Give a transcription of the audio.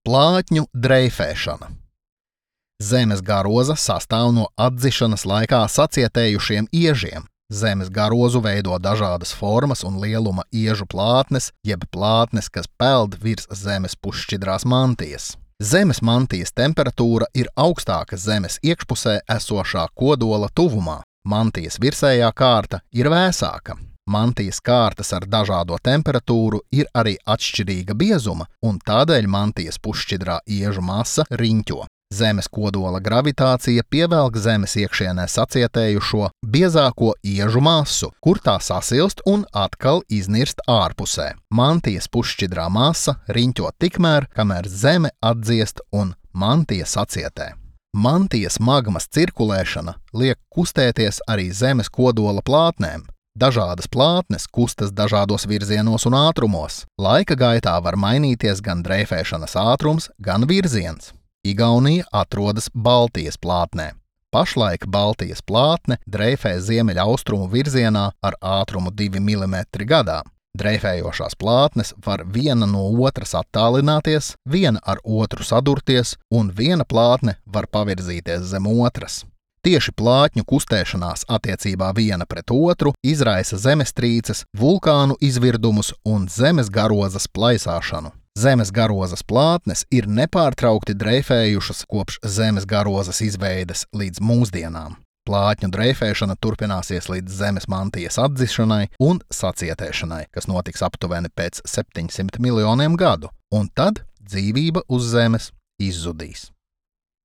Plātņu dreifēšana. Zemes garoza sastāv no atdzišanas laikā sacietējušiem iežiem. Zemes garozu veido dažādas formas un lieluma iežu plātnes, jeb plātnes, kas peld virs zemes pusšķidrās mantijas. Zemes mantijas temperatūra ir augstāka zemes iekšpusē esošā kodola tuvumā. Mantijas virsējā kārta ir vēsāka. Mantijas kārtas ar dažādo temperatūru ir arī atšķirīga biezuma, un tādēļ mantijas pusšķidrā iežu masa riņķo. Zemes kodola gravitācija pievelk zemes iekšienē sacietējušo biezāko iežu masu, kur tā sasilst un atkal iznirst ārpusē. Mantijas pusšķidrā masa riņķo tikmēr, kamēr zeme atdziest un mantija sacietē. Mantijas magmas cirkulēšana liek kustēties arī zemes kodola plātnēm. Dažādas plātnes kustas dažādos virzienos un ātrumos. Laika gaitā var mainīties gan dreifēšanas ātrums, gan virziens. Igaunija atrodas Baltijas plātnē. Pašlaik Baltijas plātne dreifē ziemeļaustrumu virzienā ar ātrumu 2 mm gadā. Dreifējošās plātnes var viena no otras attālināties, viena ar otru sadurties, un viena plātne var pavirzīties zem otras. Tieši plātņu kustēšanās attiecībā viena pret otru izraisa zemestrīces, vulkānu izvirdumus un zemes garozas plaisāšanu. Zemes garozas plātnes ir nepārtraukti dreifējušas kopš zemes garozas izveides līdz mūsdienām. Plātņu dreifēšana turpināsies līdz zemes mantijas atdzišanai un sacietēšanai, kas notiks aptuveni pēc 700 miljoniem gadu, un tad dzīvība uz zemes izzudīs.